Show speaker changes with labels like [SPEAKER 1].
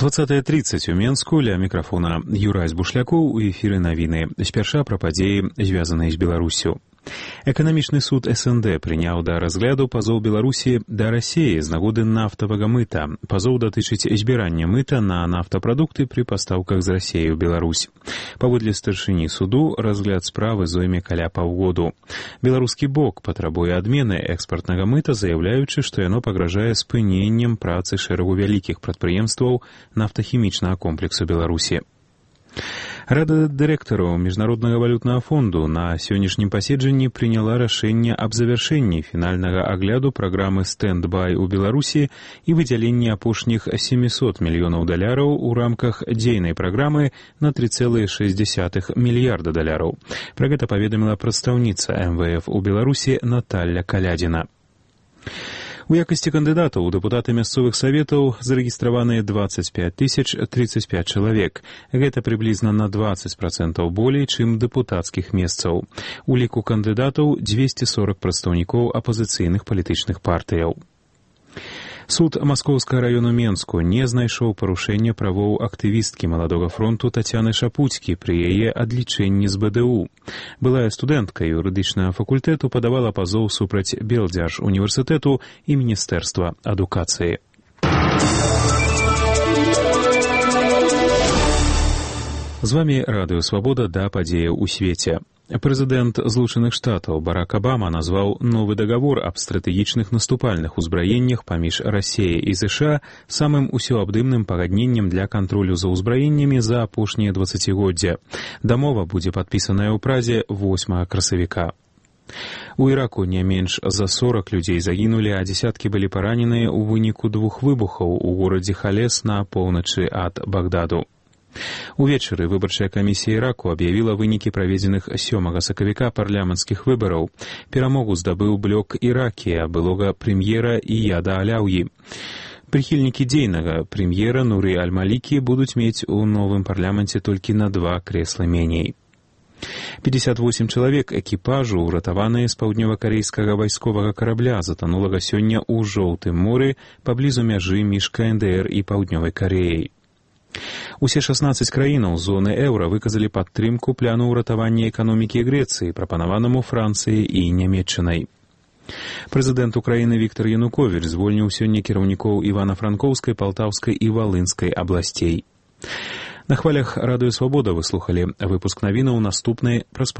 [SPEAKER 1] 20:30 у Менску, ля мікрафона Юрась Бушлякоў, у эфіры навіны. Спярша пра падзеі, звязаныя з Беларуссю. Эканамічны суд СНД прыняў да разгляду пазоў Беларусі да Расіі з нагоды нафтавага мыта. Пазоў датычыць збірання мыта на нафтапрадукты пры пастаўках з Расіі ў Беларусь. Паводле старшыні суду, разгляд справы зойме каля паўгоду. Беларускі бок патрабуе адмены экспартнага мыта, заяўляючы, што яно пагражае спыненнем працы шэрагу вялікіх прадпрыемстваў нафтахімічнага комплексу Беларусі. Рада дырэктараў Міжнароднага валютнага фонду на сённяшнім паседжанні прыняла рашэнне аб завяршэнні фінальнага агляду праграмы «Стэнд-бай» у Беларусі і выдзяленні апошніх $700 мільёнаў у рамках дзейнай праграмы на $3,6 мільярда. Пра гэта паведаміла прадстаўніца МВФ у Беларусі Наталля Калядзіна. У якасці кандыдатаў у дэпутаты мясцовых саветаў зарэгістраваныя 25 035 чалавек. Гэта прыблізна на 20% болей, чым дэпутацкіх месцаў. У ліку кандыдатаў 240 прадстаўнікоў апазіцыйных палітычных партыяў. Суд Маскоўскага раёну Менску не знайшоў парушэння правоў актывісткі Маладога фронту Тацяны Шапуцкі пры яе адлічэнні з БДУ. Былая студэнтка юрыдычнага факультэту падавала пазоў супраць Белдзяржуніверсітэту і Міністэрства адукацыі. З вамі Радыё Свабода да падзеяў у свеце. Прэзідэнт Злучаных Штатаў Барак Абама назваў новы дагавор аб стратэгічных наступальных узбраеннях паміж Расіяй і ЗША самым усеабдымным пагадненнем для кантролю за ўзбраеннямі за апошнія 20-годдзя. Дамова будзе падпісаная ў Празе 8 красавіка. У Іраку не менш за 40 людзей загінулі, а дзесяткі былі параненыя ў выніку 2 выбухаў у горадзе Халес на поўначы ад Багдаду. Увечары выбарчая камісія Іраку аб'явіла вынікі праведзеных 7 сакавіка парламенцкіх выбараў. Перамогу здабыў блок Іракія, былога прэм'ера Ияда Аляўі. Прыхільнікі дзейнага прэм'ера Нуры Аль-Малікі будуць мець у новым парламенце толькі на 2 крэсла меней. 58 чалавек экіпажу, уратаваныя з паўднёва-карэйскага вайсковага карабля, затанулага сёння ў Жоўтым моры паблізу мяжы між КНДР і Паўднёвай Карэяй. Усе 16 краінаў зоны еўра выказалі падтрымку пляну ўратавання эканомікі Грэцыі, прапанаванаму Францыяй і Нямецчынай. Прэзідэнт Украіны Віктар Януковіч звольніў сёння кіраўнікоў Івана-Франкоўскай, Палтаўскай і Валынскай абласцей. На хвалях Радыё Свабода вы слухалі выпуск навінаў, наступны праз